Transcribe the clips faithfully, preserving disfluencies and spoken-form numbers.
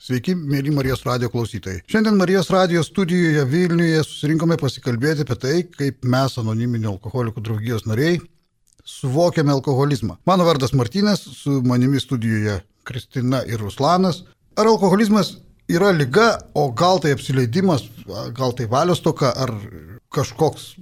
Sveiki, mėly Marijos radijo klausytojai. Šiandien Marijos radijo studijoje Vilniuje susirinkome pasikalbėti apie tai, kaip mes, anoniminių alkoholikų draugijos nariai, suvokiame alkoholizmą. Mano vardas Martynas, su manimi studijoje Kristina ir Ruslanas. Ar alkoholizmas yra liga, o gal tai apsileidimas, gal tai valios toka, ar kažkoks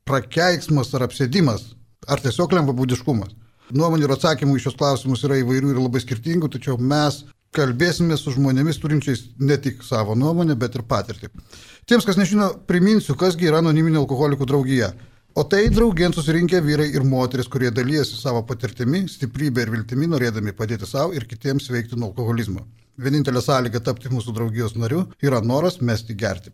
prakeiksmas ar apsėdimas, ar tiesiog lengvabūdiškumas? Nuomonių ir atsakymų į šios klausimus yra įvairių ir labai skirtingų, tačiau mes kalbėsime su žmonėmis turinčiais ne tik savo nuomonę, bet ir patirtį. Tiems, kas nežino, priminsiu, kasgi yra anoniminė alkoholikų draugija. O tai draugien susirinkę vyrai ir moteris, kurie dalyjasi savo patirtimi, stiprybę ir viltimi, norėdami padėti savo ir kitiems veikti nuo alkoholizmo. Vienintelė sąlyga tapti mūsų draugijos nariu yra noras mesti gerti.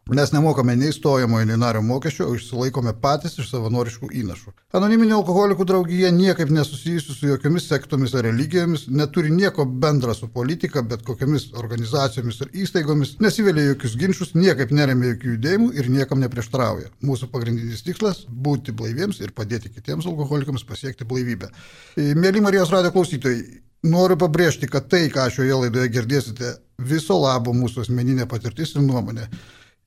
Mes nemokame nei stojamojo, nei nario mokesčio, o išsilaikome patys iš savanoriškų įnašų. Anoniminė alkoholikų draugija niekaip nesusijusi su jokiomis sektomis ar religijomis, neturi nieko bendra su politika, bet kokiamis organizacijomis ar įstaigomis, nesivelia jokius ginčius, niekaip neremia jokių judėjimų ir niekam neprieštrauja. Mūsų pagrindinis tikslas – būti blaiviems ir padėti kitiems alkoholikams pasiekti blaivybę. Mėly Marijos radijo klausytojai, noriu pabrėžti, kad tai, ką šioje laidoje girdėsite, viso labo mūsų asmeninė patirtis ir nuomonė.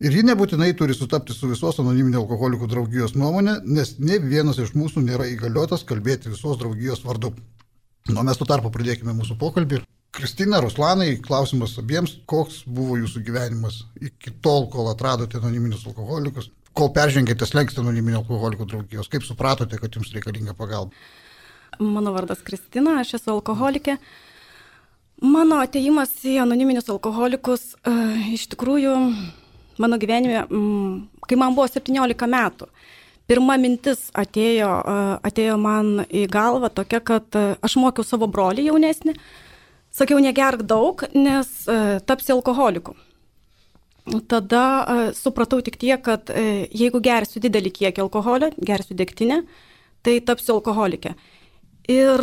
Ir ji nebūtinai turi sutapti su visos anoniminio alkoholikų draugijos nuomonė, nes ne vienas iš mūsų nėra įgaliotas kalbėti visos draugijos vardu. Nu, mes tuo tarpu pradėkime mūsų pokalbį. Kristina, Ruslanai, klausimas abiems, koks buvo jūsų gyvenimas iki tol, kol atradote anoniminius alkoholikus, kol peržengėte slenkstį anoniminio alkoholikų draugijos, kaip supratote, kad jums reikalinga pagalba? Mano vardas Kristina, aš esu alkoholikė. Mano atėjimas į anoniminius alkoholikus e, iš tikrųjų mano gyvenime, kai man buvo septyniolika metų, pirma mintis atėjo, atėjo man į galvą tokia, kad aš mokiau savo brolį jaunesnį, sakiau, negerk daug, nes tapsi alkoholiku. Tada supratau tik tiek, kad jeigu gersiu didelį kiekį alkoholio, gersiu degtinę, tai tapsiu alkoholikė. Ir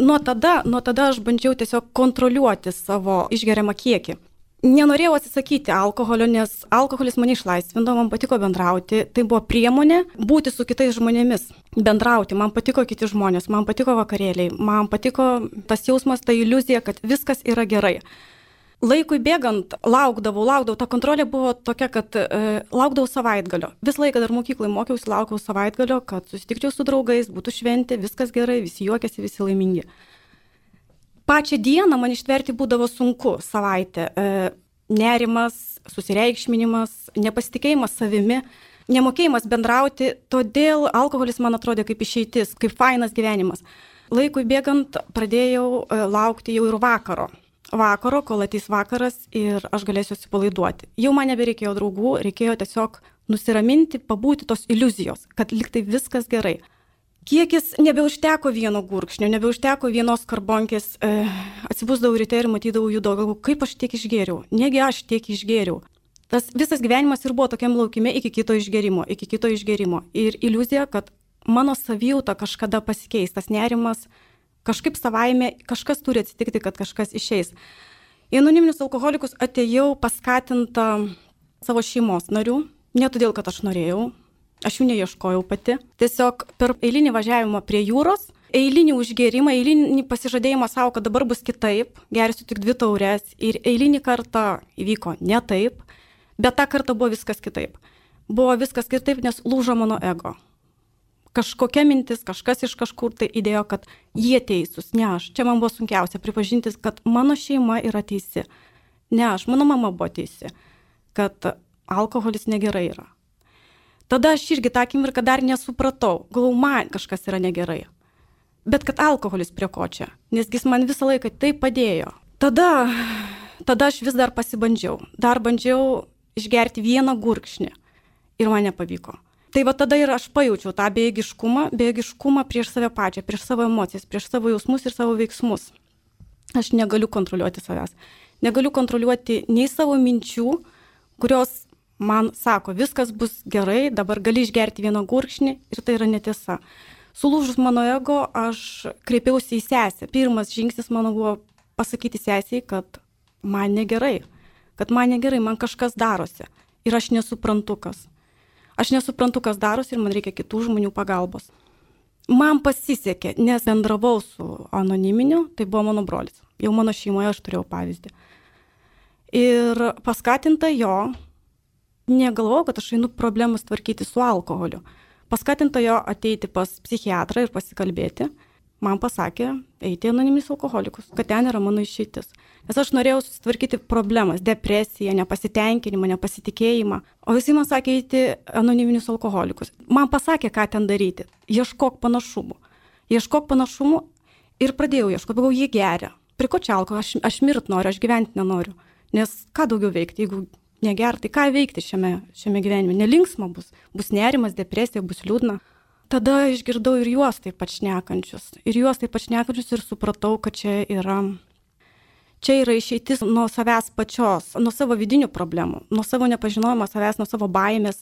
nuo tada, nuo tada aš bandžiau tiesiog kontroliuoti savo išgeriamą kiekį. Nenorėjau atsisakyti alkoholio, nes alkoholis mane išlaisvindavo, man patiko bendrauti. Tai buvo priemonė būti su kitais žmonėmis, bendrauti. Man patiko kiti žmonės, man patiko vakarėliai, man patiko tas jausmas, ta iliuzija, kad viskas yra gerai. Laikui bėgant laukdavau, laukdavau. Ta kontrolė buvo tokia, kad e, laukdavau savaitgalio. Visą laiką dar mokyklai mokiausi, laukiau savaitgalio, kad susitikčiau su draugais, būtų šventė, viskas gerai, visi juokiasi, visi laimingi. Pačią dieną man ištverti būdavo sunku savaitę. E, nerimas, susireikšminimas, nepasitikėjimas savimi, nemokėjimas bendrauti, todėl alkoholis man atrodė kaip išeitis, kaip fainas gyvenimas. Laikui bėgant pradėjau e, laukti jau ir vakaro. Vakaro, kol ateis vakaras ir aš galėsiu atsipalaiduoti. Jau man nebereikėjo draugų, reikėjo tiesiog nusiraminti, pabūti tos iliuzijos, kad liktai viskas gerai. Kiekis nebeužteko vieno gurkšnio, nebeužteko vienos karbonkės, e, atsibusdavau ryte ir matydavau jų daug, kaip aš tiek išgėriau, negi aš tiek išgėriau. Tas visas gyvenimas ir buvo tokiam laukime iki kito išgėrimo, iki kito išgėrimo. Ir iliuzija, kad mano savijauta kažkada pasikeis, tas nerimas, kažkaip savaime, kažkas turi atsitikti, kad kažkas išeis. Į anoniminius alkoholikus atėjau paskatinta savo šeimos narių, ne todėl, kad aš norėjau. Aš jų neieškojau pati. Tiesiog per eilinį važiavimą prie jūros, eilinį užgėrimą, eilinį pasižadėjimą savo, kad dabar bus kitaip, gersiu tik dvi taures ir eilinį kartą įvyko ne taip, bet tą kartą buvo viskas kitaip. Buvo viskas kitaip, nes lūžo mano ego. Kažkokia mintis, kažkas iš kažkur tai įdėjo, kad jie teisūs, ne aš. Čia man buvo sunkiausia pripažintis, kad mano šeima yra teisi. Ne aš, mano mama buvo teisi, kad alkoholis negerai yra. Tada aš irgi tą akimirką dar nesupratau, galvau, man kažkas yra negerai. Bet kad alkoholis prie ko čia, nes jis man visą laiką tai padėjo. Tada, tada aš vis dar pasibandžiau, dar bandžiau išgerti vieną gurkšnį ir man nepavyko. Tai va tada ir aš pajaučiau tą bejėgiškumą, bejėgiškumą prieš save pačią, prieš savo emocijas, prieš savo jausmus ir savo veiksmus. Aš negaliu kontroliuoti savęs, negaliu kontroliuoti nei savo minčių, kurios man sako, viskas bus gerai, dabar gali išgerti vieną gurkšnį ir tai yra netiesa. Sulūžus mano ego, aš kreipiausi į sesę. Pirmas žingsnis mano buvo pasakyti sesiai, kad man negerai, kad man negerai, man kažkas darosi ir aš nesuprantu kas. Aš nesuprantu, kas darosi ir man reikia kitų žmonių pagalbos. Man pasisekė, nes bendravau su anoniminiu, tai buvo mano brolis. Jau mano šeimoje aš turėjau pavyzdį. Ir paskatinta jo, negalvojau, kad aš einu problemas tvarkyti su alkoholiu. Paskatinta jo ateiti pas psichiatrą ir pasikalbėti. Man pasakė, eiti į anoniminius alkoholikus, kad ten yra mano išeitis. Nes aš norėjau susitvarkyti problemas, depresiją, nepasitenkinimą, nepasitikėjimą. O visi man sakė, eiti anoniminius alkoholikus. Man pasakė, ką ten daryti. Ieškok panašumų. Ieškok panašumų ir pradėjau ieškoti, galvoju, jie geria. Prie ko čia alkoholio? Aš, aš mirt noriu, aš gyventi nenoriu. Nes ką daugiau veikti, jeigu neger, tai ką veikti šiame, šiame gyvenime? Nelinksma bus. Bus nerimas, depresija, bus liūdna. Tada išgirdau ir juos taip pat šnekančius. Ir juos taip pat šnekančius ir supratau, kad čia yra, čia yra išeitis nuo savęs pačios, nuo savo vidinių problemų, nuo savo nepažinojimo savęs, nuo savo baimės.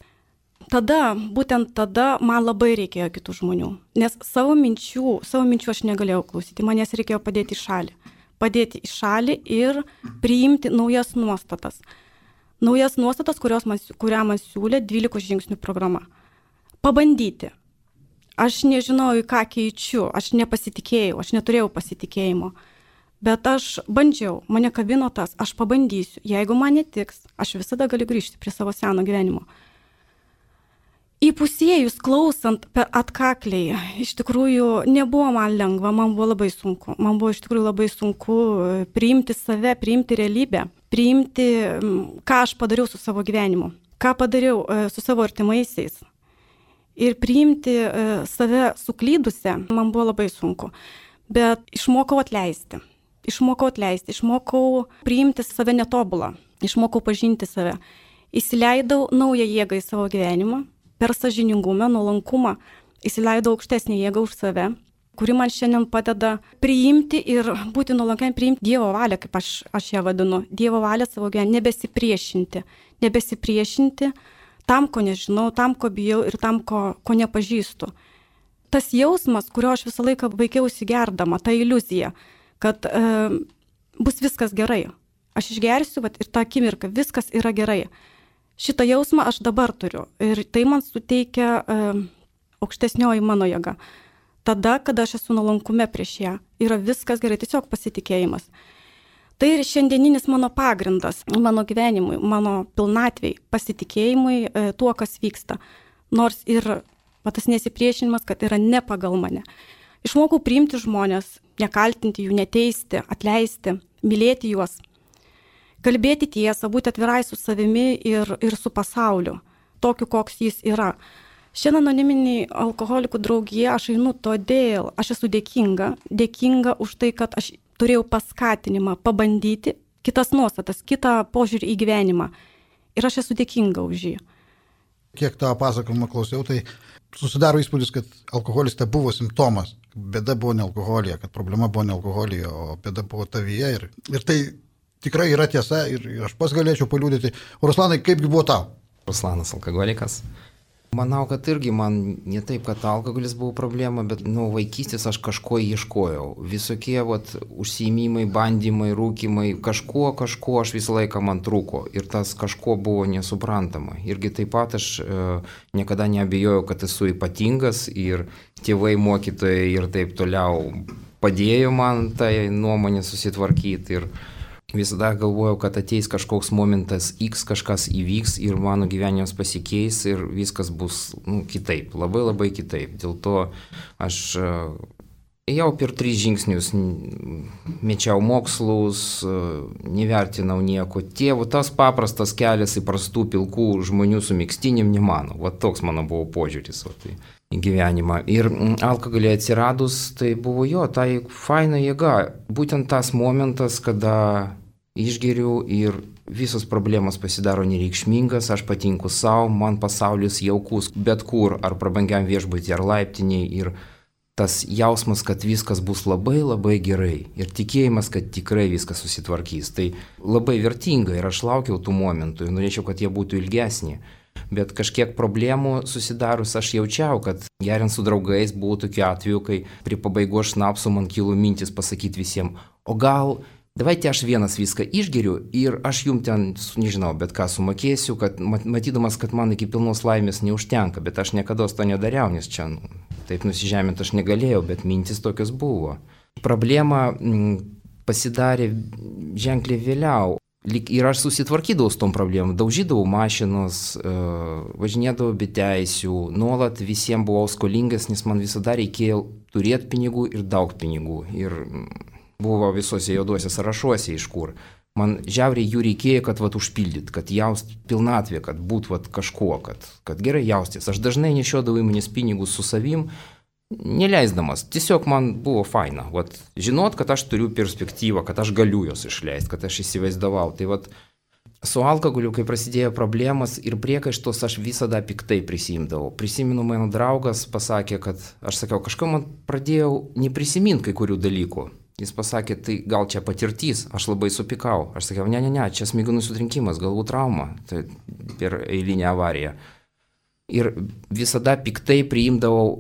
Tada, būtent tada man labai reikėjo kitų žmonių. Nes savo minčių, savo minčių aš negalėjau klausyti. Man jas reikėjo padėti į šalį. Padėti į šalį ir priimti naujas nuostatas. Naujas nuostatas, kurios man, kurią man siūlė dvylikos žingsnių programa. Pabandyti. Aš nežinau, į ką keičiu, aš nepasitikėjau, aš neturėjau pasitikėjimo. Bet aš bandžiau, mane kabino tas, aš pabandysiu. Jeigu man netiks, aš visada galiu grįžti prie savo seno gyvenimo. Įpusėjus, klausant per atkakliai, iš tikrųjų nebuvo man lengva, man buvo labai sunku. Man buvo iš tikrųjų labai sunku priimti save, priimti realybę, priimti, ką aš padariau su savo gyvenimu, ką padariau su savo artimaisiais. Ir priimti save suklydusią, man buvo labai sunku. Bet išmokau atleisti. Išmokau atleisti, išmokau priimti save netobulą. Išmokau pažinti save. Įsileidau naują jėgą į savo gyvenimą. Per sąžiningumą, nuolankumą įsileidau aukštesnį jėgą už save, kuri man šiandien padeda priimti ir būti nuolankiam, priimti Dievo valią, kaip aš, aš ją vadinu. Dievo valią savo gyvenimą, nebesipriešinti. Nebesipriešinti tam, ko nežinau, tam, ko bijau ir tam, ko, ko nepažįstu. Tas jausmas, kurio aš visą laiką vaikiausi gerdama, ta iliuzija, kad e, bus viskas gerai. Aš išgersiu vat, ir tą akimirką viskas yra gerai. Šitą jausmą aš dabar turiu ir tai man suteikia e, aukštesnioji mano jėga. Tada, kada aš esu nuolankume prieš ją, yra viskas gerai, tiesiog pasitikėjimas. Tai ir šiandieninis mano pagrindas, mano gyvenimui, mano pilnatvei, pasitikėjimui e, tuo, kas vyksta. Nors ir va, tas nesipriešinimas, kad yra ne pagal mane. Išmokau priimti žmonės, nekaltinti jų, neteisti, atleisti, mylėti juos, kalbėti tiesą, būti atvirai su savimi ir, ir su pasauliu, tokiu, koks jis yra. Šiandien anoniminiai alkoholikų draugija aš einu todėl, aš esu dėkinga, dėkinga už tai, kad aš turėjau paskatinimą pabandyti kitas nuostatas, kitą požiūrį į gyvenimą. Ir aš esu dėkinga už jį. Kiek tą pasakojimą klausiau, tai susidaro įspūdis, kad alkoholis tai buvo simptomas. Bėda buvo ne alkoholija, kad problema buvo ne alkoholija, o bėda buvo tavyje. Ir, ir tai tikrai yra tiesa ir, ir aš pas galėčiau paliūdyti. Ruslanai, kaipgi buvo tau? Ruslanas alkoholikas. Manau, kad irgi man ne taip, kad alkoholis buvo problema, bet nuo vaikystės aš kažko ieškojau. Visokie vat, užsiėmimai, bandymai, rūkimai, kažko, kažko aš visą laiką man trūko. Ir tas kažko buvo nesuprantama. Irgi taip pat aš e, niekada neabejojau, kad esu ypatingas ir tėvai, mokytojai ir taip toliau padėjo man tai nuomonę susitvarkyti. Ir visada galvojau, kad ateis kažkoks momentas X, kažkas įvyks ir mano gyvenimas pasikeis ir viskas bus nu, kitaip, labai labai kitaip. Dėl to aš jau per tris žingsnius mečiau mokslus, nevertinau nieko. Tėvų, tas paprastas kelias į prastų pilkų žmonių su mėgstinim nemano. Va toks mano buvo požiūris va, tai, į gyvenimą. Ir alkoholį atsiradus, tai buvo jo, tai faina jėga. Būtent tas momentas, kada išgeriu ir visos problemos pasidaro nereikšmingas, aš patinku savo, man pasaulis jaukus bet kur, ar prabangiam viešbutį, ar laiptiniai. Ir tas jausmas, kad viskas bus labai labai gerai ir tikėjimas, kad tikrai viskas susitvarkys. Tai labai vertinga ir aš laukiau tų momentų ir norėčiau, kad jie būtų ilgesni. Bet kažkiek problemų susidarus aš jaučiau, kad geriant su draugais buvo tokiu atveju, kai prie pabaigos šnapso man kilo mintis pasakyti visiems, o gal davайте aš vienas viską išgeriu ir aš jums ten, nežinau, bet ką sumokėsiu, kad matydamas, kad man iki pilnos laimės neužtenka, bet aš niekada to nedariau, nes čia nu, taip nusižeminti aš negalėjau, bet mintis tokios buvo. Problema m, pasidarė ženkliai vėliau. Ir aš susitvarkydavau su tom problemom, daužydavau mašinos, važinėdavau be teisių, nuolat visiems buvau skolingas, nes man visada reikėjo turėti pinigų ir daug pinigų. Ir buvo visose juoduose sąrašuose iš kur. Man žiauriai jų reikėjo, kad vat užpildyt, kad jaust pilnatvė, kad būt vat kažkuo, kad, kad gerai jaustis. Aš dažnai nešiodavau įmonės pinigus su savim, neleisdamas. Tiesiog man buvo faina. Vat, žinot, kad aš turiu perspektyvą, kad aš galiu jos išleisti, kad aš įsivaizdavau. Tai vat, su alkoholiu, kai prasidėjo problemas ir priekaištos, aš visada piktai prisimdavau. Prisimenu, mano draugas pasakė, kad aš sakiau, kažką man pradėjau neprisiminti kai kurių dalykų. Jis pasakė, tai gal čia patirtis, aš labai supikau. Aš sakiau, ne, ne, ne, čia smegenų sutrinkimas, galbūt trauma, tai per eilinę avariją. Ir visada piktai priimdavau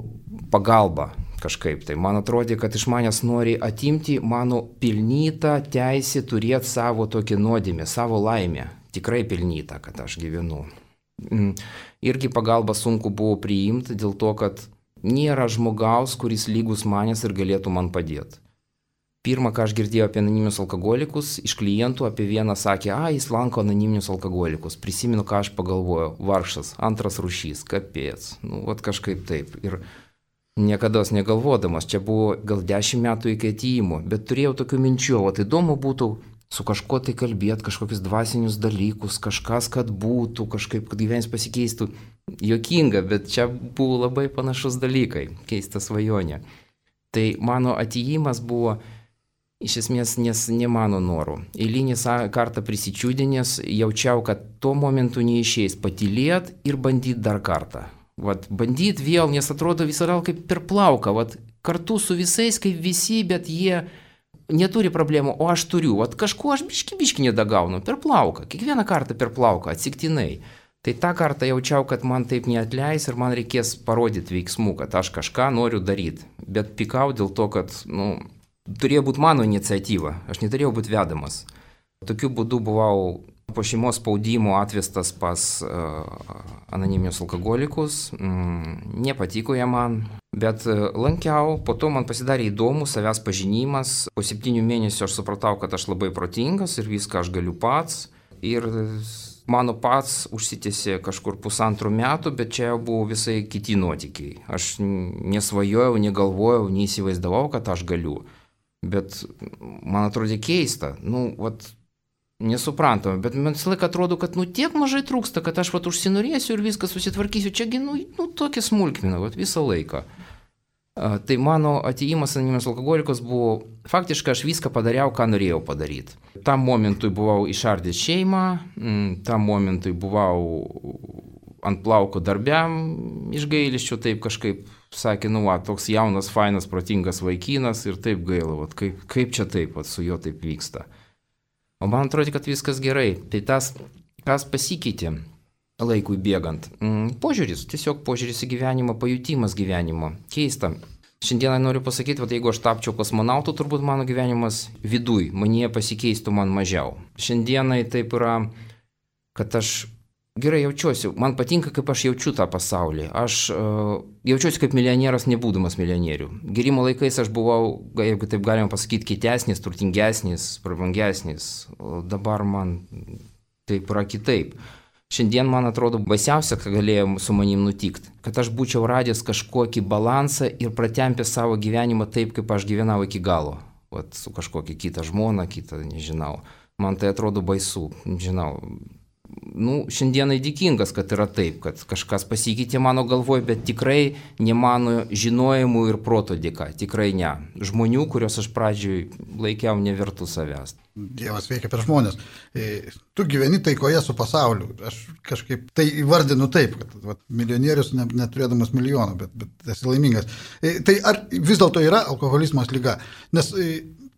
pagalbą kažkaip. Tai man atrodė, kad iš manęs nori atimti mano pilnytą teisę turėti savo tokį nuodėmę, savo laimę. Tikrai pilnytą, kad aš gyvenu. Irgi pagalbą sunku buvo priimti dėl to, kad nėra žmogaus, kuris lygus manęs ir galėtų man padėti. Pirmą, ką aš girdėjau apie anoniminius alkoholikus, iš klientų apie vieną sakė, a, jis lanko anoniminius alkoholikus. Prisimenu, ką aš pagalvojau, vargšas, antras rūšys, kapėts, nu, vat kažkaip taip. Ir niekada negalvodamas, čia buvo gal dešimt metų iki atėjimo, bet turėjau tokių minčių, o tai įdomu būtų su kažkuo tai kalbėti, kažkokius dvasinius dalykus, kažkas, kad būtų, kažkaip, kad gyvenimas pasikeistų. Jokinga, bet čia buvo labai panašus dalykai, keista svajonė. Tai mano atėjimas buvo iš esmės nes ne mano norų. Eilinį kartą prisičiūdinės, jaučiau, kad tuo momentu neišeis patylėt ir bandyt dar kartą. Vat, bandyt vėl, nes atrodo visada kaip per plauką, vat, kartu su visais, kaip visi, bet jie neturi problemų, o aš turiu. Vat, kažko aš biški biški nedagaunu, per plauką, kiekvieną kartą per plauką, atsiktinai. Tai tą kartą jaučiau, kad man taip neatleis ir man reikės parodyti veiksmų, kad aš kažką noriu daryti. Bet pikau dėl to, kad, nu, turėjo būti mano iniciatyva, aš neturėjau būti vedamas. Tokiu būdu buvau po šeimos spaudimo atvestas pas uh, anoniminius alkoholikus, mm, nepatiko jie man, bet uh, lankiau, po to man pasidarė įdomu savęs pažinimas, po septynių mėnesių aš supratau, kad aš labai protingas ir viską aš galiu pats ir mano pats užsitęsė kažkur pusantrų metų, bet čia buvo visai kiti nuotykiai. Aš nesvajojau, negalvojau, neįsivaizdavau, kad aš galiu. Bet man atrodė keista, nu, vat, nesuprantama, bet man visą laiką atrodo, kad, nu, tiek mažai trūksta, kad aš, vat, užsinorėsiu ir viską susitvarkysiu, čiagi, nu, nu tokia smulkmena, vat, visą laiką. A, tai mano atėjimas anoniminius alkoholikus buvo, faktiškai aš viską padariau, ką norėjau padaryti. Tam momentui buvau išardęs šeimą, tam momentui buvau ant plauko darbiam, iš gailesčio taip kažkaip sakė, nu, va, toks jaunas, fainas, protingas vaikinas ir taip gaila, va, kaip, kaip čia taip, va, su juo taip vyksta. O man atrodo, kad viskas gerai. Tai tas, kas pasikeitė laikui bėgant. Požiūris, tiesiog požiūris į gyvenimą, pajutimas gyvenimo. Keista. Šiandieną noriu pasakyti, kad jeigu aš tapčiau kosmonautu, turbūt mano gyvenimas viduj, manyje pasikeistų man mažiau. Šiandienai taip yra, kad aš gerai jaučiuosi, man patinka, kaip aš jaučiu tą pasaulį. Aš uh, jaučiuosi kaip milionieras, nebūdamas milijonierių. Gerimo laikais aš buvau, jeigu taip galima pasakyti, kitesnis, turtingesnis, prabangesnis. O dabar man taip yra kitaip. Šiandien man atrodo baisiausia, ką galėjo su manim nutikti, kad aš būčiau radęs kažkokį balansą ir pratempęs savo gyvenimą taip, kaip aš gyvenau iki galo. Vat su kažkokia kita žmona, kita, nežinau. Man tai atrodo baisu, žinau. Nu, šiandienai dėkingas, kad yra taip, kad kažkas pasikeitė mano galvoje, bet tikrai ne mano žinojimų ir proto dėka, tikrai ne. Žmonių, kuriuos aš pradžioj laikiau nevertų savęs. Dievas veikia per žmonės. Tu gyveni taikoje su pasauliu. Aš kažkaip tai įvardinu taip, kad vat, milijonierius ne, neturėdamas milijoną, bet, bet esi laimingas. Tai ar vis dėlto yra alkoholizmas liga? Nes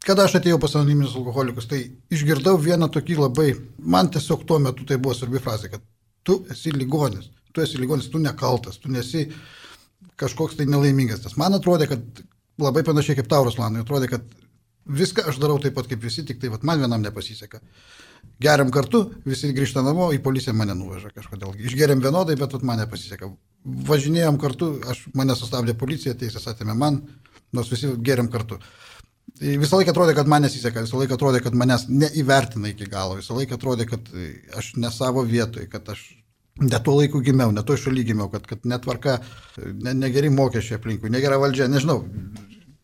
kada aš atėjau pas anoniminius alkoholikus, tai išgirdau vieną tokį labai, man tiesiog tuo metu tai buvo svarbi frazė, kad tu esi ligonis, tu esi ligonis, tu nekaltas, tu nesi kažkoks tai nelaimingas. Tas man atrodė, kad labai panašiai kaip tau, Ruslanai, atrodė, kad viską aš darau taip pat kaip visi, tik tai vat, man vienam nepasiseka. Geriam kartu, visi grįžta namo, į policiją mane nuveža kažkodėl. Išgeriam vienodai, bet vat, man nepasiseka. Važinėjom kartu, aš, mane sustabdė policija, teisės atėmė man, nors visi geriam kartu. Visą laiką atrodė, kad man nesiseka, visą laiką atrodė, kad manęs neįvertina iki galo, visą laiką atrodė, kad aš ne savo vietoj, kad aš ne tuo laiku gimiau, ne tuo šaly gimiau, kad, kad netvarka, ne, negeri mokesčiai aplinkui, negera valdžia, nežinau,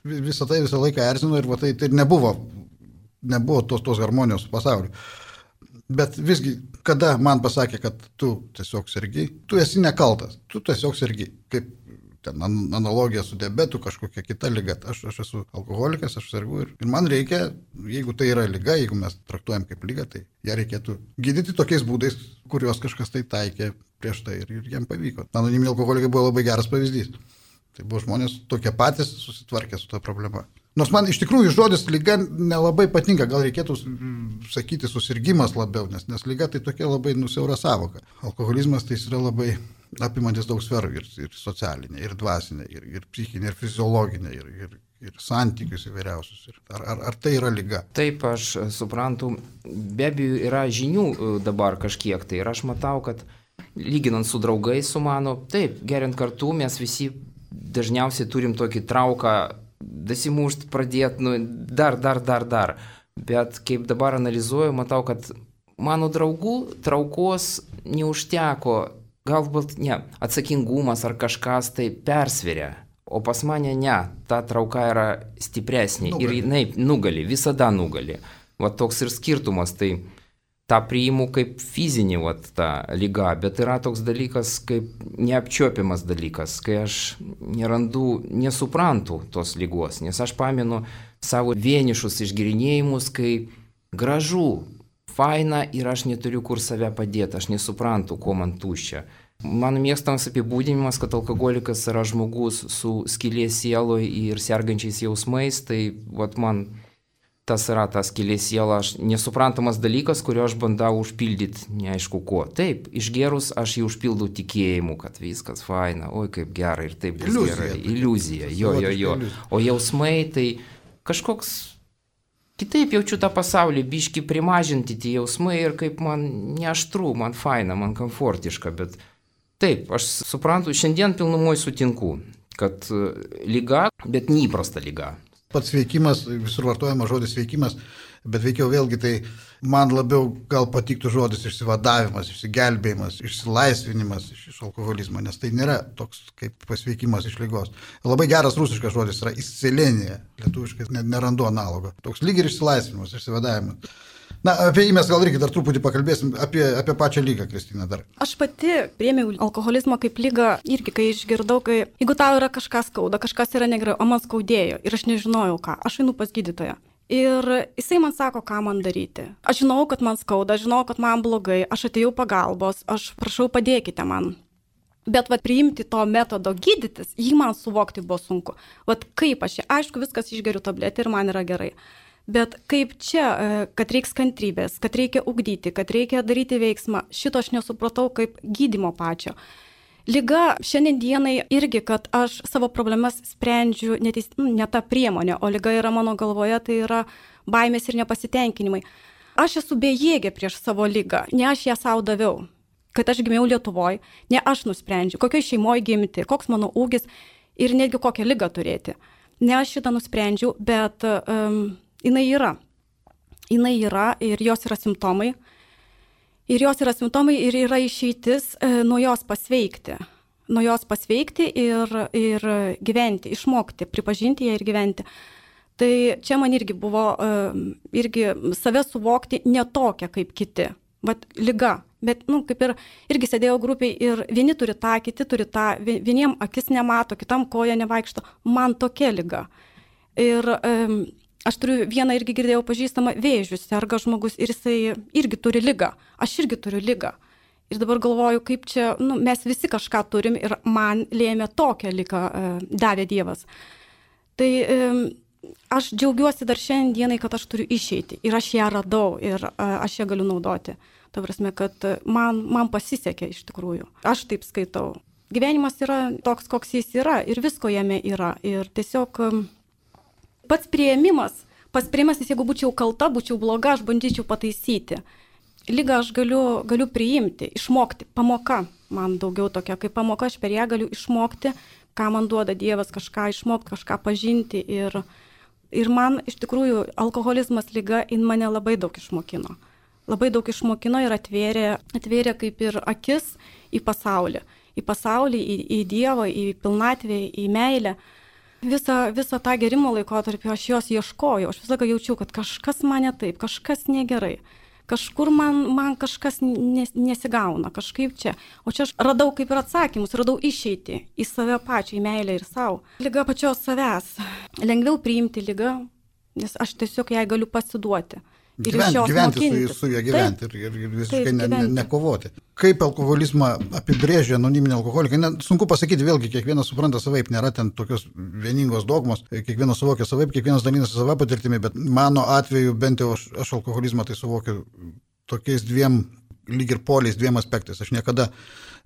visą tai visą laiką erzino ir va, tai, tai nebuvo, nebuvo tos, tos harmonijos pasauliu. Bet visgi, kada man pasakė, kad tu tiesiog sergi, tu esi nekaltas, tu tiesiog sergi, kaip ten analogija su diabetu, kažkokia kita liga. Aš, aš esu alkoholikas, aš sergu ir, ir man reikia, jeigu tai yra liga, jeigu mes traktuojam kaip ligą, tai ją reikėtų gydyti tokiais būdais, kuriuos kažkas tai taikė prieš tai ir, ir jiem pavyko. Anoniminiai alkoholikai buvo labai geras pavyzdys. Tai buvo žmonės tokie patys susitvarkė su ta problema. Nors man iš tikrųjų žodis liga nelabai patinka, gal reikėtų sakyti susirgimas labiau, nes, nes liga tai tokia labai nusiaura savoka. Alkoholizmas tai yra labai apimantis daug sferų, ir, ir socialinė, ir dvasinė, ir, ir psichinė, ir fiziologinė, ir, ir, ir santykius įvairiausius. Ar, ar, ar tai yra liga? Taip, aš suprantu, be abejo yra žinių dabar kažkiek tai ir aš matau, kad lyginant su draugais su mano, taip, geriant kartu mes visi dažniausiai turim tokį trauką dasimušt, pradėti, nu, dar, dar, dar, dar. Bet kaip dabar analizuoju, matau, kad mano draugų traukos neužteko, galbūt ne, atsakingumas ar kažkas tai persveria, o pas mane ne, ta trauka yra stipresnė nugali. Ir jinai nugali, visada nugali. Va toks ir skirtumas, tai tą priimu kaip fizinį va, tą lygą, bet yra toks dalykas kaip neapčiuopiamas dalykas, kai aš nerandu, nesuprantu tos lygos, nes aš pamenu savo vienišus išgirinėjimus, kai gražu, faina ir aš neturiu kur save padėti, aš nesuprantu, ko man tuščia. Mano mėgstamas apibūdinimas, kad alkoholikas yra žmogus su skylė sieloje ir sergančiais jausmais, tai vat, man tas yra tas skylė siela, aš nesuprantamas dalykas, kurio aš bandau užpildyti neaišku ko. Taip, išgerus aš jį užpildau tikėjimu, kad viskas faina, oi kaip gerai ir taip bus gerai. Iliuzija, jo, jo, jo. O jausmai tai kažkoks... Kitaip jaučiu tą pasaulį, biški primažinti tie jausmai ir kaip man neaštru, man faina, man komfortiška, bet taip, aš suprantu, šiandien pilnumoj sutinku, kad liga, bet neįprasta liga. Pats sveikimas, visur vartojama žodis sveikimas, bet veikiau vėlgi tai man labiau gal patiktų žodis išsivadavimas, išsigelbėjimas, išsilaisvinimas iš, iš alkoholizmo, nes tai nėra toks kaip pasveikimas iš ligos. Labai geras rusiškas žodis yra iscelenija, lietuviškai nerandu analogo. Toks lyg ir išsilaisvinimas, išsivadavimas. Na, apie jį mes gal irgi dar truputį pakalbėsim, apie, apie pačią lygą, Kristina, dar. Aš pati priėmiau alkoholizmą kaip lygą irgi, kai išgirdau, kai jeigu tau yra kažkas skauda, kažkas yra negerai, o man skaudėjo ir aš nežinojau ką, aš einu pas gydytoją. Ir jisai man sako, ką man daryti. Aš žinau, kad man skauda, žinau, kad man blogai, aš atėjau pagalbos, aš prašau padėkite man. Bet vat priimti to metodo gydytis, jį man suvokti buvo sunku. Vat kaip aš, aišku, viskas išgeriu tabletę ir man yra gerai. Bet kaip čia, kad reiks kantrybės, kad reikia ugdyti, kad reikia daryti veiksmą, šito aš nesupratau kaip gydymo pačio. Liga šiandien dienai irgi, kad aš savo problemas sprendžiu neteis, ne tą priemonę, o liga yra mano galvoje, tai yra baimės ir nepasitenkinimai. Aš esu bejėgė prieš savo ligą, ne aš ją savo daviau. Kad aš gimiau Lietuvoje, ne aš nusprendžiu, kokioj šeimoje gimti, koks mano ūgis ir netgi kokią ligą turėti. Ne aš šitą nusprendžiau, bet um, jinai yra. Jinai yra ir jos yra simptomai. Ir jos yra simptomai ir yra išeitis e, nuo jos pasveikti. Nuo jos pasveikti ir, ir gyventi, išmokti, pripažinti ją ir gyventi. Tai čia man irgi buvo, e, irgi save suvokti ne tokia kaip kiti. Vat liga. Bet, nu, kaip ir irgi sėdėjau grupiai ir vieni turi tą, kiti turi tą, vieniem akis nemato, kitam koja nevaikšto. Man tokia liga. Ir... E, Aš turiu vieną irgi girdėjau pažįstamą vėžių, serga žmogus ir jisai irgi turi ligą. Aš irgi turiu ligą. Ir dabar galvoju, kaip čia, nu, mes visi kažką turim ir man lėmė tokią ligą e, davė Dievas. Tai e, aš džiaugiuosi dar šiandienai, kad aš turiu išeiti ir aš ją radau ir e, aš ją galiu naudoti. Ta prasme, kad man, man pasisekė iš tikrųjų. Aš taip skaitau. Gyvenimas yra toks, koks jis yra ir visko jame yra. Ir tiesiog... E, Pats priėmimas, pats priėmimas, jeigu būčiau kalta, būčiau bloga, aš bandyčiau pataisyti. Ligą aš galiu, galiu priimti, išmokti. Pamoka man daugiau tokia, kaip pamoka, aš per ją galiu išmokti, ką man duoda Dievas, kažką išmokti, kažką pažinti ir Ir man iš tikrųjų alkoholizmas liga, jin mane labai daug išmokino. Labai daug išmokino ir atvėrė, atvėrė kaip ir akis į pasaulį. Į pasaulį, į, į Dievą, į pilnatvę, į meilę. Visą, visą tą gerimo laikotarpį aš jos ieškojau. Aš visą laiką jaučiau, kad kažkas mane taip, kažkas negerai. Kažkur man, man kažkas nes, nesigauna, kažkaip čia. O čia aš radau kaip ir atsakymus, radau išeitį į save pačią, į meilę ir savo. Liga pačios savęs. Lengviau priimti ligą, nes aš tiesiog jai galiu pasiduoti. Ir Gyventi, gyventi mokintis. su, su juo gyventi Taip, ir, ir visiškai taip, ne, ne, gyventi. nekovoti. Kaip alkoholizmą apibrėžia anoniminį alkoholiką, ne, sunku pasakyti, vėlgi kiekvienas supranta savaip, nėra ten tokios vieningos dogmos, kiekvienas suvokia savaip, kiekvienas dalinasi savo patirtimi, bet mano atveju bent jau aš, aš alkoholizmą tai suvokiu tokiais dviem lyg ir poliais, dviem aspektais. Aš niekada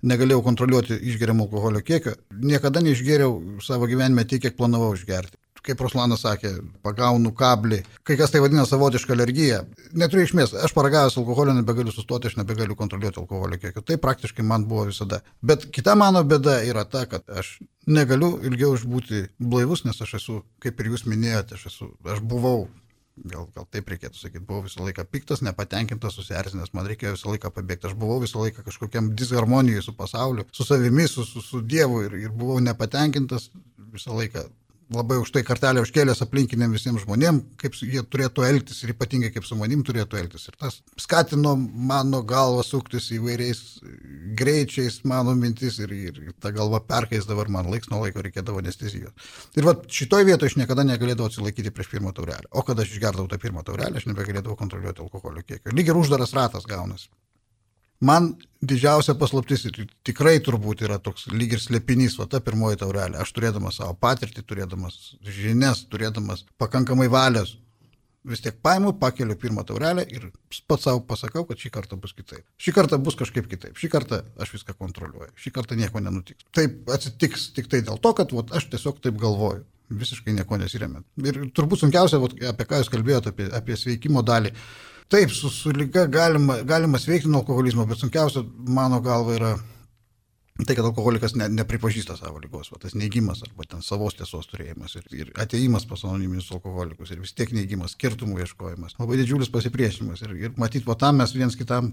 negalėjau kontroliuoti išgeriamo alkoholio kiekio, niekada neišgėriau savo gyvenime tiek, kiek planavau išgerti. Kaip Ruslanas sakė, pagaunu kablį, kai kas tai vadina savotišką alergiją. Neturiu išmės, aš paragavęs alkoholio nebegaliu sustoti, aš nebegaliu kontroliuoti alkoholio kiekio. Tai praktiškai man buvo visada. Bet kita mano bėda yra ta, kad aš negaliu ilgiau išbūti blaivus, nes aš esu, kaip ir jūs minėjote, aš, esu, aš buvau, gal, gal taip reikėtų sakyti, buvau visą laiką piktas, nepatenkintas, susierzinęs, man reikėjo visą laiką pabėgti. Aš buvau visą laiką kažkokiam disharmonijai su pasauliu, su savimi, su, su, su Dievu ir, ir buvau nepatenkintas visą laiką. Labai už tai kartelę užkėlęs aplinkiniam visiems žmonėm, kaip jie turėtų elgtis ir ypatingai kaip su manim turėtų elgtis. Ir tas skatino mano galvą suktis įvairiais greičiais, mano mintis ir, ir ta galva perkaisdavo ir man laiks nuo laiko reikėdavo anestezijos. Ir va šitoj vietoje aš niekada negalėdavau atsilaikyti prieš pirmą taurelę. O kada aš išgerdavau tą pirmą taurelę, aš nebegalėdavau kontroliuoti alkoholio kiekio. Lyg ir uždaras ratas gaunasi. Man didžiausia paslaptis ir tikrai turbūt yra toks lyg ir slėpinys, va ta pirmoji taurelė. Aš turėdamas savo patirtį, turėdamas žinias, turėdamas pakankamai valios, vis tiek paimu, pakeliu pirmą taurelę ir pats savo pasakau, kad šį kartą bus kitaip. Šį kartą bus kažkaip kitaip. Šį kartą aš viską kontroliuoju. Šį kartą nieko nenutiks. Taip atsitiks tik tai dėl to, kad vat, aš tiesiog taip galvoju. Visiškai nieko nesiremiant. Ir turbūt sunkiausia, vat, apie ką jūs kalbėjote, apie, apie sveikimo dalį. Taip, su, su liga galima, galima sveikti nuo alkoholizmo, bet sunkiausia mano galva yra tai, kad alkoholikas ne, nepripažįsta savo ligos, va, tas neigimas arba ten savos tiesos turėjimas ir, ir ateimas pas anoniminius alkoholikus ir vis tiek neigimas, skirtumų ieškojimas, labai didžiulis pasipriešinimas ir, ir matyt, va tam mes viens kitam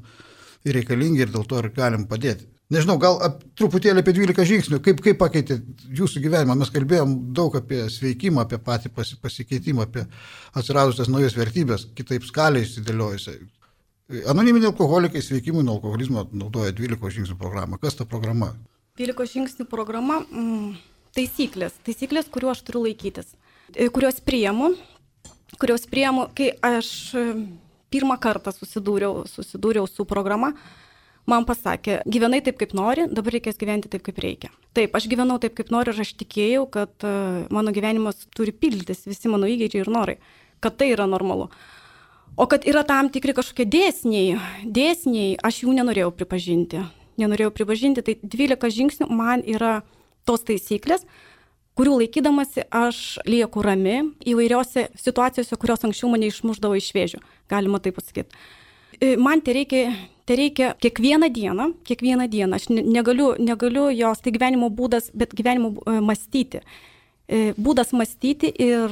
ir reikalingi ir dėl to ir galim padėti. Nežinau, gal ap, truputėlį apie dvylika žingsnių, kaip, kaip pakeitė jūsų gyvenimą. Mes kalbėjom daug apie sveikimą, apie patį pasi, pasikeitimą, apie atsiradusias naujas vertybės, kitaip skalę išsidėliojusią. Anoniminiai alkoholikai sveikimui nuo alkoholizmo naudoja dvylikos žingsnių programą. Kas ta programa? dvylikos žingsnių programa mm, taisyklės, taisyklės, kuriuo aš turiu laikytis, kurios priimu, kurios priimu, kai aš pirmą kartą susidūriau, susidūriau su programa. Man pasakė, gyvenai taip, kaip nori, dabar reikės gyventi taip, kaip reikia. Taip, aš gyvenau taip, kaip noriu ir aš tikėjau, kad uh, mano gyvenimas turi pildytis visi mano įgeidžiai ir norai, kad tai yra normalu. O kad yra tam tikri kažkokie dėsniai, dėsniai, aš jų nenorėjau pripažinti. Nenorėjau pripažinti, tai dvylika žingsnių man yra tos taisyklės, kurių laikydamasi aš lieku rami įvairiose situacijose, kurios anksčiau mane išmušdavo iš vėžių, galima taip pasakyti. Man tai reikia, tai reikia kiekvieną dieną, kiekvieną dieną, aš negaliu, negaliu jos, tai gyvenimo būdas, bet gyvenimo mąstyti. Būdas mąstyti ir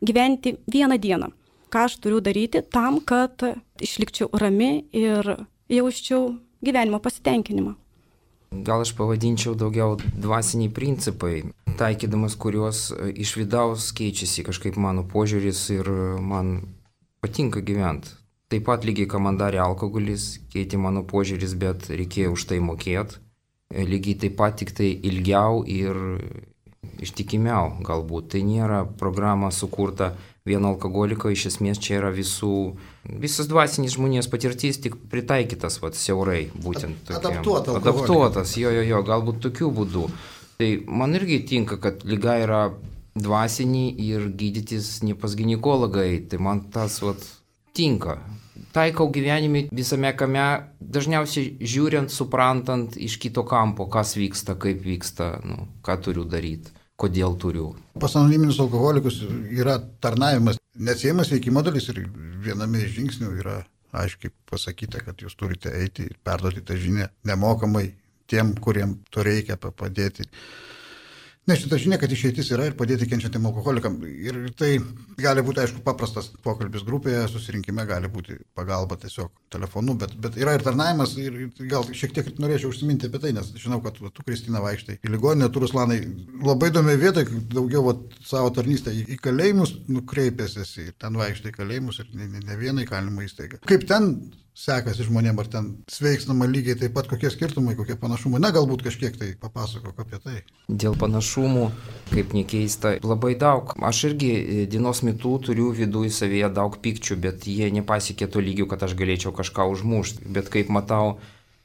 gyventi vieną dieną. Ką aš turiu daryti tam, kad išlikčiau rami ir jausčiau gyvenimo pasitenkinimą. Gal aš pavadinčiau daugiau dvasiniai principai, taikydamas kuriuos iš vidaus keičiasi kažkaip mano požiūris ir man patinka gyventi. Taip pat lygiai, ką man darė alkoholis, keitė mano požiūris, bet reikėjo už tai mokėti. Lygiai taip pat tik tai ilgiau ir ištikimiau galbūt. Tai nėra programa sukurta vieno alkoholiko, iš esmės čia yra visų, visas dvasinis žmonijos patirtis, tik pritaikytas vat, siaurai, būtent tokiam. Adaptuota Adaptuotas, jo, jo, jo, galbūt tokiu būdu. Tai man irgi tinka, kad liga yra dvasinį ir gydytis ne pas ginekologai, tai man tas vat, tinka. Taikau gyvenime visame kame, dažniausiai žiūrint, suprantant iš kito kampo, kas vyksta, kaip vyksta, nu, ką turiu daryti, kodėl turiu. Pas anoniminius alkoholikus yra tarnavimas, neatsiejamas veikimo dalis ir viename iš žingsnių yra aiškiai pasakyta, kad jūs turite eiti ir perduoti tą žinią nemokamai tiem, kuriem to reikia padėti. Ne, šitą žinia, kad išeitis yra ir padėti kenčiantiem alkoholikam. Ir tai gali būti, aišku, paprastas pokalbis grupėje, susirinkime, gali būti pagalba tiesiog telefonu, bet, bet yra ir tarnavimas ir gal šiek tiek norėčiau užsiminti apie tai, nes žinau, kad tu, Kristina, vaikštai į ligoninę, tu, Ruslanai, labai įdomi vieta, daugiau vat, savo tarnystę į, į kalėjimus nukreipėsi ir ten vaikštai į kalėjimus ir ne, ne, ne vieną įkalinimo įstaigą. Kaip ten sekasi žmonėm, ar ten sveiksnama lygiai taip pat, kokie skirtumai, kokie panašumai, na galbūt kažkiek tai papasakok apie tai. Dėl panašumų, kaip nekeista, labai daug. Aš irgi dienos metu turiu viduje savyje daug pykčių, bet jie nepasiekė to lygio, kad aš galėčiau kažką užmušti. Bet kaip matau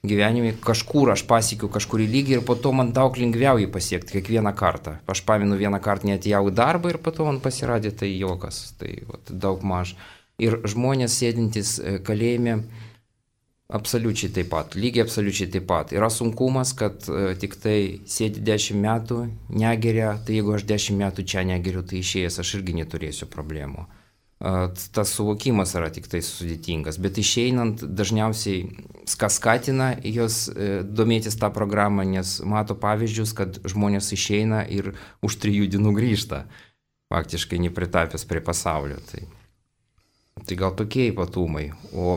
gyvenime, kažkur aš pasiekiu kažkurį lygį ir po to man daug lengviau jį pasiekti kiekvieną kartą. Aš pamenu vieną kartą neatėjau į darbą ir po to man pasirodė tai jokas, tai vat, daug maž. Ir žmonės sėdintys kalėjime absoliučiai taip pat, lygiai absoliučiai taip pat. Yra sunkumas, kad e, tik tai sėdi dešimt metų, negeria, tai jeigu aš dešimt metų čia negeriu, tai išėjęs aš irgi neturėsiu problemų. E, tas suvokimas yra tik tai sudėtingas, bet išeinant dažniausiai skatina jos e, domėtis tą programą, nes mato pavyzdžius, kad žmonės išeina ir už trijų dienų grįžta, faktiškai nepritapęs prie pasaulio. Tai. Tai gal tokie ypatumai. O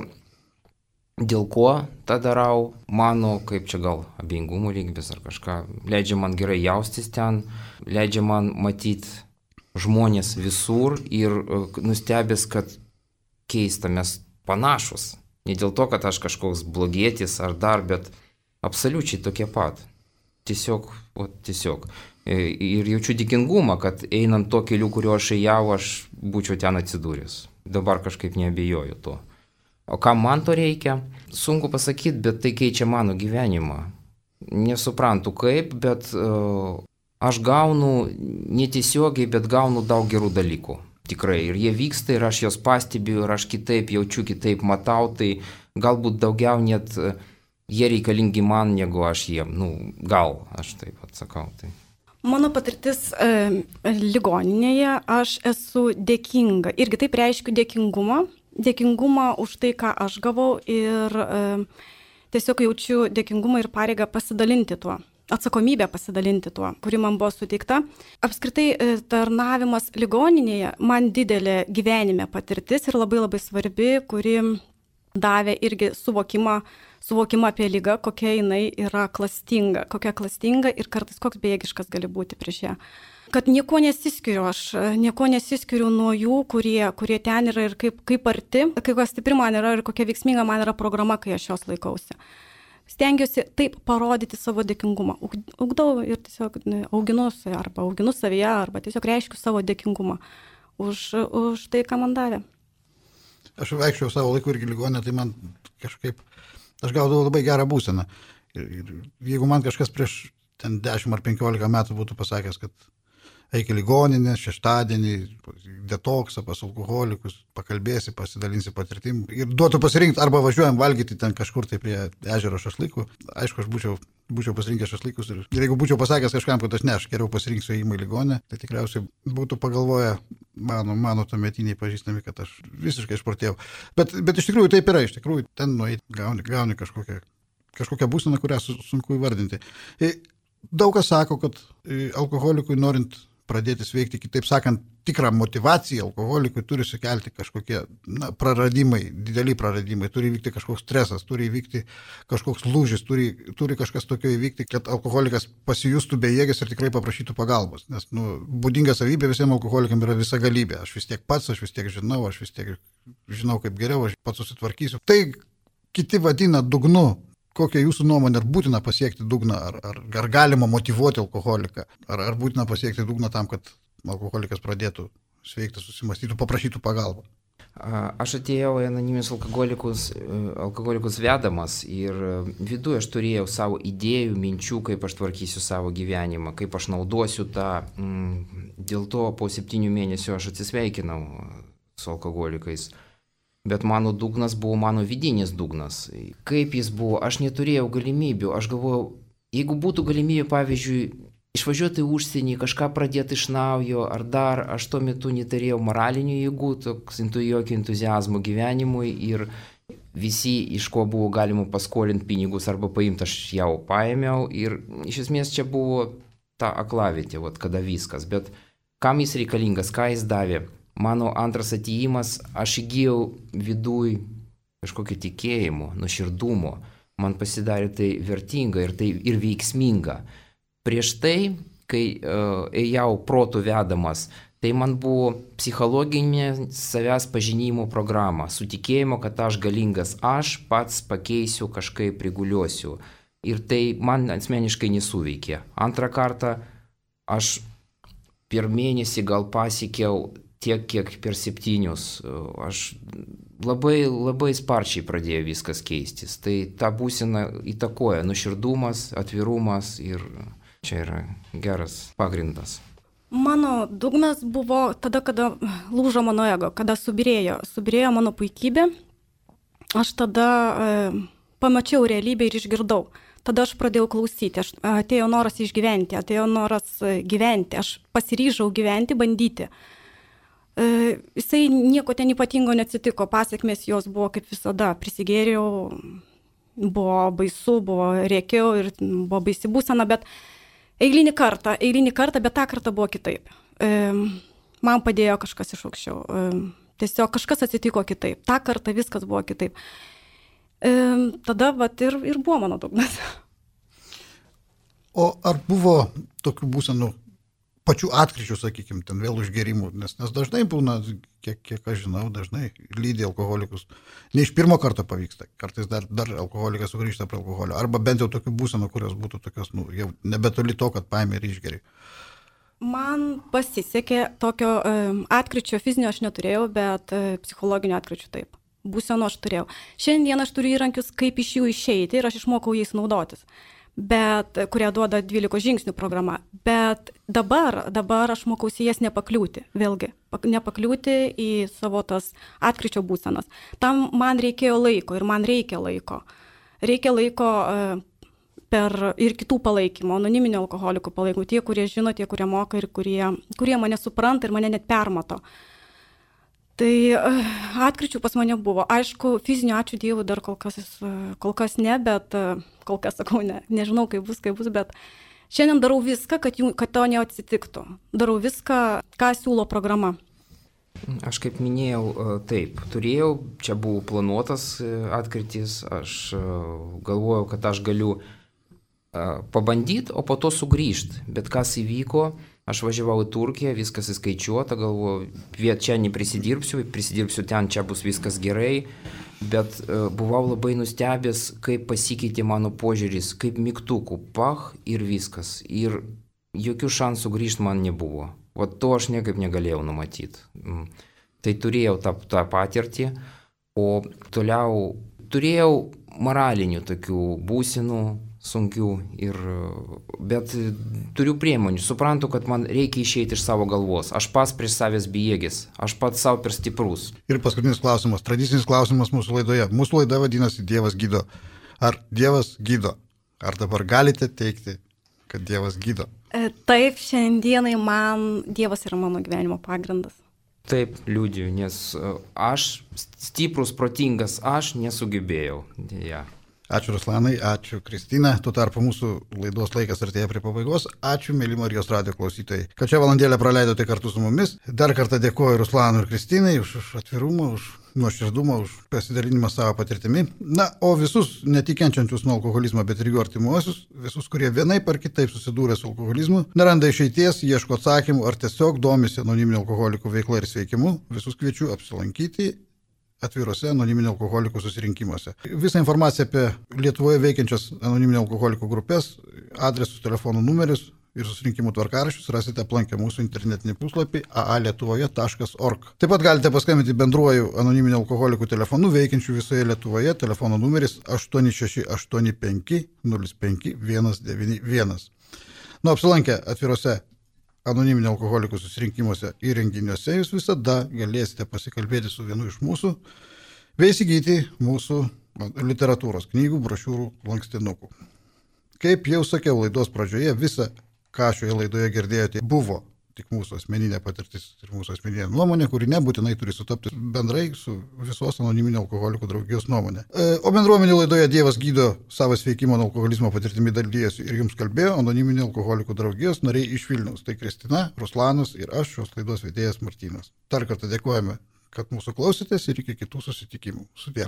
dėl ko tą darau, mano, kaip čia gal abejingumo lygis ar kažką, leidžia man gerai jaustis ten, leidžia man matyti žmonės visur ir nustebęs, kad keista, mes panašus. Ne dėl to, kad aš kažkoks blogietis ar dar, bet absoliučiai tokie pat. Tiesiog, o tiesiog. Ir jaučiu dėkingumą, kad einant to keliu, kuriuo aš ėjau, aš būčiau ten atsidūręs. Dabar kažkaip neabejoju to. O kam man to reikia? Sunku pasakyti, bet tai keičia mano gyvenimą. Nesuprantu kaip, bet uh, aš gaunu netiesiogiai, bet gaunu daug gerų dalykų. Tikrai. Ir jie vyksta ir aš juos pastebiu ir aš kitaip jaučiu, kitaip matau, tai galbūt daugiau net uh, jie reikalingi man, negu aš jiem. Nu, gal, aš taip atsakau. Tai. Mano patirtis e, ligoninėje, aš esu dėkinga. Irgi taip reiškiu dėkingumą. Dėkingumą už tai, ką aš gavau ir e, tiesiog jaučiu dėkingumą ir pareigą pasidalinti tuo. Atsakomybę pasidalinti tuo, kuri man buvo suteikta. Apskritai e, tarnavimas ligoninėje man didelė gyvenime patirtis ir labai labai svarbi, kuri davė irgi suvokimą, suvokimą apie ligą, kokia jinai yra klastinga, kokia klastinga ir kartais koks bejėgiškas gali būti prieš ją. Kad nieko nesiskiriu, aš nieko nesiskiriu nuo jų, kurie, kurie ten yra ir kaip, kaip arti, kaip stipri man yra ir kokia veiksminga man yra programa, kai aš jos laikausi. Stengiuosi taip parodyti savo dėkingumą. Ugdau ir tiesiog auginu arba auginu savyje, arba tiesiog reiškiu savo dėkingumą už, už tai, ką man davė. Aš vaikščiau savo laiku irgi ligoninę, tai man kažkaip, aš gaudavau labai gerą būseną. Ir, ir jeigu man kažkas prieš ten dešimt ar penkiolika metų būtų pasakęs, kad eik į ligoninę šeštadienį, detoksą pas alkoholikus, pakalbėsi, pasidalinsi patirtim ir duotų pasirinkti, arba važiuojam valgyti ten kažkur tai prie ežero šašlykų. Aišku, aš būčiau, būčiau pasirinkęs šašlykus ir, ir jeigu būčiau pasakęs kažkam, kad aš ne, aš geriau pasirinksiu įėjimą į ligoninę, tai tikriausiai būtų pagalvoję mano, mano tuometiniai pažįstami, kad aš visiškai išprotėjau. Bet, bet iš tikrųjų taip yra, iš tikrųjų ten nueiti, gauni, gauni kažkokią, kažkokią būseną, kurią sunku įvardinti. Daug kas sako, kad alkoholikui norint pradėti sveikti, kitaip sakant, tikrą motivaciją alkoholikui turi sukelti kažkokie na, praradimai, dideli praradimai, turi įvykti kažkoks stresas, turi įvykti kažkoks lūžis, turi, turi kažkas tokio įvykti, kad alkoholikas pasijustų bejėgis ir tikrai paprašytų pagalbos. Nes nu, būdinga savybė visiems alkoholikams yra visa galybė. Aš vis tiek pats, aš vis tiek žinau, aš vis tiek žinau kaip geriau, aš pats susitvarkysiu. Tai kiti vadina dugnu. Kokia jūsų nuomonė, ar būtina pasiekti dugną, ar, ar, ar galima motyvuoti alkoholiką, ar, ar būtina pasiekti dugną tam, kad alkoholikas pradėtų sveikti, susimastytų, paprašytų pagalbą? Aš atėjau į anoniminius alkoholikus, alkoholikus vedamas ir viduje aš turėjau savo idėjų, minčių, kaip aš tvarkysiu savo gyvenimą, kaip aš naudosiu tą. Dėl to po septynių mėnesių aš atsisveikinau su alkoholikais. Bet mano dugnas buvo mano vidinis dugnas. Kaip jis buvo, aš neturėjau galimybių. Aš galvojau, jeigu būtų galimybė, pavyzdžiui, išvažiuoti į užsienį, kažką pradėti iš naujo, ar dar, aš tuo metu neturėjau moralinių jėgų, toks jokio entuziazmo gyvenimui ir visi, iš ko buvo galima paskolinti pinigus arba paimti, aš jau paėmiau. Ir iš esmės čia buvo ta aklavietė, vat, kada viskas, bet kam jis reikalingas, ką jis davė. Mano antras atėjimas, aš įgyjau viduj kažkokio tikėjimo, nuoširdumo, man pasidarė tai vertinga ir, tai, ir veiksminga. Prieš tai, kai uh, ėjau protų vedamas, tai man buvo psichologinė savęs pažinimo programa, su tikėjimu, kad aš galingas, aš pats pakeisiu, kažkaip priguliuosiu. Ir tai man asmeniškai nesuveikė. Antrą kartą aš per mėnesį gal pasiekiau tiek, kiek per septynius. Aš labai, labai sparčiai pradėjo viskas keistis. Tai ta būsena įtakoja nuoširdumas, atvirumas ir čia yra geras pagrindas. Mano dugnas buvo tada, kada lūžo mano ego, kada subirėjo, subirėjo mano puikybė. Aš tada e, pamačiau realybę ir išgirdau. Tada aš pradėjau klausyti, aš, atėjo noras išgyventi, atėjo noras gyventi, aš pasiryžau gyventi, bandyti. E, jisai nieko ten ypatingo neatsitiko, pasiekmės jos buvo kaip visada, prisigėriau, buvo baisu, buvo rėkiau ir buvo baisi būsena, bet Eilinį kartą, eilinį kartą, bet tą kartą buvo kitaip. E, man padėjo kažkas iš aukščiau. E, tiesiog kažkas atsitiko kitaip. Ta kartą viskas buvo kitaip. E, tada vat, ir, ir buvo mano dugnas. O ar buvo tokių būsenų pačių atkryčių, sakykime, ten vėl užgerimų? Nes, nes dažnai būna, kiek, kiek aš žinau, dažnai lydi alkoholikus. Ne iš pirmo karto pavyksta. Kartais dar, dar alkoholikas sugrįžta prie alkoholio. Arba bent jau tokių būsenų, kurios būtų tokios, nu, jau nebetoli to, kad paėmė ir išgeri. Man pasisekė tokio e, atkryčio fizinio aš neturėjau, bet e, psichologinio atkryčio taip. Būsenų aš turėjau. Šiandien aš turiu įrankius, kaip iš jų išeiti ir aš išmokau jais naudotis. Bet, kurie duoda dvylikos žingsnių programa. Bet dabar, dabar aš mokausi jas nepakliūti, vėlgi, nepakliūti į savo tas atkryčio būsenas. Tam man reikėjo laiko ir man reikia laiko. Reikia laiko per ir kitų palaikymo, anoniminio alkoholikų palaikymų, tie, kurie žino, tie, kurie moka ir kurie, kurie mane supranta ir mane net permato. Tai atkryčių pas mane buvo. Aišku, fizinio ačiū Dievui dar kol kas, kol kas ne, bet kol kas sakau, ne, nežinau, kaip bus, kaip bus, bet šiandien darau viską, kad, jų, kad to neatsitiktų. Darau viską, ką siūlo programa. Aš kaip minėjau, taip, turėjau, čia buvo planuotas atkrytis, aš galvojau, kad aš galiu pabandyti, o po to sugrįžti. Bet kas įvyko, aš važiavau į Turkiją, viskas įskaičiuota, galvoju, viet čia neprisidirbsiu, prisidirbsiu ten, čia bus viskas gerai, bet uh, buvau labai nustebęs, kaip pasikeitė mano požiūris, kaip mygtukų, pach ir viskas. Ir jokių šansų grįžti man nebuvo. O to aš niekaip negalėjau numatyti. Mm. Tai turėjau tą, tą patirtį, o toliau turėjau moralinių tokių būsenų, sunkių, ir, bet turiu priemonių, suprantu, kad man reikia išeiti iš savo galvos. Aš pats prieš savęs bejėgis, aš pats savo per stiprus. Ir paskutinis klausimas, tradicinis klausimas mūsų laidoje. Mūsų laida vadinasi Dievas gydo. Ar Dievas gydo? Ar dabar galite teikti, kad Dievas gydo? Taip, šiandienai man Dievas yra mano gyvenimo pagrindas. Taip, liudiju, nes aš, stiprus, protingas, aš nesugebėjau. Ja. Ačiū Ruslanai, ačiū Kristina. Tuo tarpu mūsų laidos laikas artėja prie pabaigos. Ačiū, mėly Marijos radijo klausytojai, kad šią valandėlę praleidote kartu su mumis. Dar kartą dėkoju Ruslanui ir Kristinai už, už atvirumą, už nuoširdumą, už pasidalinimą savo patirtimi. Na, o visus netikenčiančius nuo alkoholizmo, bet ir jų artimuosius, visus, kurie vienaip ar kitaip susidūrė su alkoholizmu, neranda išeities, ieško atsakymų ar tiesiog domisi anoniminių alkoholikų veikla ir sveikimu, visus kviečiu apsilankyti atvirose anoniminių alkoholikų susirinkimuose. Visą informaciją apie Lietuvoje veikiančias anoniminių alkoholikų grupės, adresus, telefonų numerius ir susirinkimų tvarkaraščius rasite aplankę mūsų internetinį puslapį a a lietuvoje taškas org. Taip pat galite paskambinti bendruoju anoniminių alkoholikų telefonu veikiančių visoje Lietuvoje. Telefono numeris aštuoni šeši aštuoni penki nulis penki vienas devyni vienas. Nu, apsilankę atvirose anoniminių alkoholikų susirinkimuose ir renginiuose jūs visada galėsite pasikalbėti su vienu iš mūsų bei įsigyti mūsų literatūros knygų, brošiūrų, lankstinukų. Kaip jau sakiau laidos pradžioje, visa, ką šioje laidoje girdėjote, buvo tik mūsų asmeninė patirtis ir mūsų asmeninė nuomonė, kuri nebūtinai turi sutapti bendrai su visos anoniminio alkoholikų draugijos nuomonė. O bendruomenių laidoje Dievas gydo savo sveikimo nuo alkoholizmo patirtimi dalyjasi ir jums kalbėjo anoniminio alkoholikų draugijos nariai iš Vilniaus. Tai Kristina, Ruslanas ir aš, šios laidos vedėjas Martynas. Dar kartą dėkojame, kad mūsų klausėtės ir iki kitų susitikimų. Sudie.